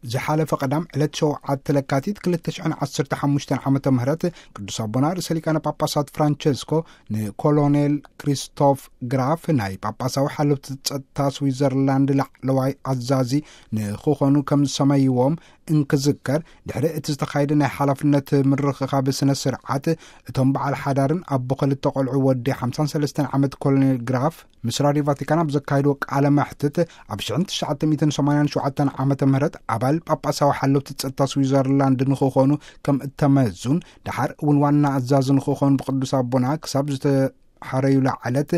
ዝሓለፈ ቀዳም ዕለት ሸውዓተ ለካቲት ክልተ ሽሕን ዓሰርተ ሓሙሽተን ዓመተ ምህረት ቅዱስ ኣቦና ርእሰ ሊቃነ ጳጳሳት ፍራንቸስኮ ንኮሎኔል ክሪስቶፍ ግራፍ ናይ ጳጳሳዊ ሓለውቲ ጸጥታ ስዊዘርላንድ ላዕለዋይ ኣዛዚ ንክኾኑ ከም ዝሰመይዎም እንክዝከር፣ ድሕሪ እቲ ዝተኻየደ ናይ ሓላፍነት ምርኽኻብ ስነ ስርዓት፣ እቶም በዓል ሓዳርን ኣቦ ክልተ ቆልዑ ወዲ ሓምሳን ሰለስተን ዓመት ኮሎኔል ግራፍ ምስ ራድዮ ቫቲካን ኣብ ዘካየድዎ ቃለ መሕትት፣ ኣብ ሽሕን ትሽዓተ ሚእትን ሰማንያን ሸውዓተን ዓመተ ምህረት ኣባል ጳጳሳዊ ሓለውቲ ጸጥታ ስዊዘርላንድ ንክኾኑ ከም እተመዙን፣ ደሓር እውን ዋና ኣዛዚ ንክኾኑ ብቅዱስ ኣቦና ክሳብ ዝተሓረዩላ ዕለት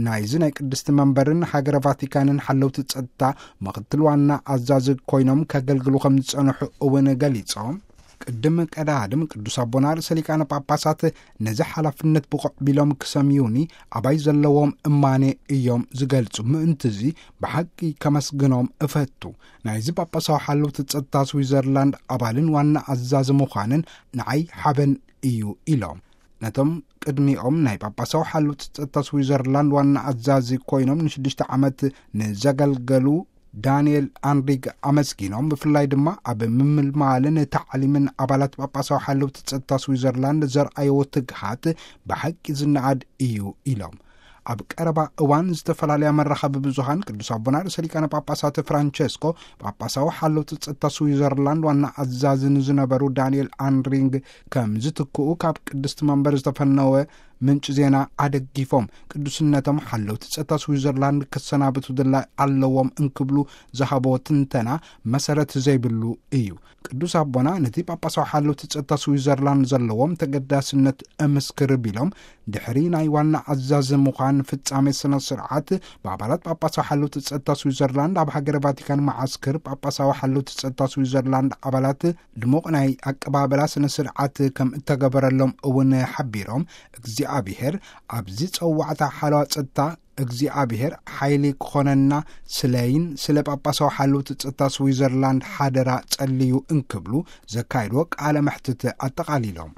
ናይዚ ናይ ቅድስቲ መንበርን ሃገረ ቫቲካንን ሓለውቲ ጸጥታ ምኽትል ዋና ኣዛዚ ኮይኖም ከገልግሉ ከም ዝጸንሑ እውን ገሊጾም። ቅድም ቀዳድም ቅዱስ ኣቦና ርእሰ ሊቃነ ጳጳሳት ነዚ ሓላፍነት ብቑዕ ቢሎም ክሰምዩኒ ኣባይ ዘለዎም እማኔ እዮም ዝገልጹ። ምእንትዚ ብሓቂ ከመስግኖም እፈቱ። ናይዚ ጳጳሳዊ ሓለውቲ ጸጥታ ስዊዘርላንድ ኣባልን ዋና ኣዛዚ ምዃንን ንዓይ ሓበን እዩ ኢሎም። ነቶም ቅድሚኦም ናይ ጳጳሳዊ ሓለውቲ ጸጥታ ስዊዘርላንድ ዋና ኣዛዚ ኮይኖም ንሽዱሽተ ዓመት ንዘገልገሉ ዳንኤል ኣንሪግ ኣመስጊኖም፣ ብፍላይ ድማ ኣብ ምምልማልን ታዕሊምን ኣባላት ጳጳሳዊ ሓለውቲ ጸጥታ ስዊዘርላንድ ዘርኣይዎ ትግሃት ብሓቂ ዝነኣድ እዩ ኢሎም። ኣብ ቀረባ እዋን ዝተፈላለያ መራኸቢ ብዙሃን ቅዱስ ኣቦና ርእሰ ሊቃነ ጳጳሳት ፍራንቸስኮ ጳጳሳዊ ሓለውቲ ጸጥታ ስዊዘርላንድ ዋና ኣዛዚ ንዝነበሩ ዳንኤል ኣንሪንግ ከም ዝትክኡ ካብ ቅድስቲ መንበር ዝተፈነወ ምንጭ ዜና ኣደጊፎም፣ ቅዱስነቶም ሓለውቲ ጸጥታ ስዊዘርላንድ ክሰናብቱ ድላይ ኣለዎም እንክብሉ ዝሃቦ ትንተና መሰረት ዘይብሉ እዩ። ቅዱስ ኣቦና ነቲ ጳጳሳዊ ሓለውቲ ጸጥታ ስዊዘርላንድ ዘለዎም ተገዳስነት እምስክር ቢሎም፣ ድሕሪ ናይ ዋና ኣዛዚ ምዃን ፍጻሜ ስነ ስርዓት ብኣባላት ጳጳሳዊ ሓለውቲ ጸጥታ ስዊዘርላንድ ኣብ ሃገረ ቫቲካን መዓስክር ጳጳሳዊ ሓለውቲ ጸጥታ ስዊዘርላንድ ኣባላት ድሙቕ ናይ ኣቀባበላ ስነ ስርዓት ከም እተገበረሎም እውን ሓቢሮም፣ እግዚኣብሔር ኣብዚ ጸዋዕታ ሓለዋ ጸጥታ እግዚኣብሔር ሓይሊ ክኾነና ስለይን ስለ ጳጳሳዊ ሓለውቲ ጸጥታ ስዊዘርላንድ ሓደራ ጸልዩ እንክብሉ ዘካየድዎ ቃለ መሕትት ኣጠቓሊሎም።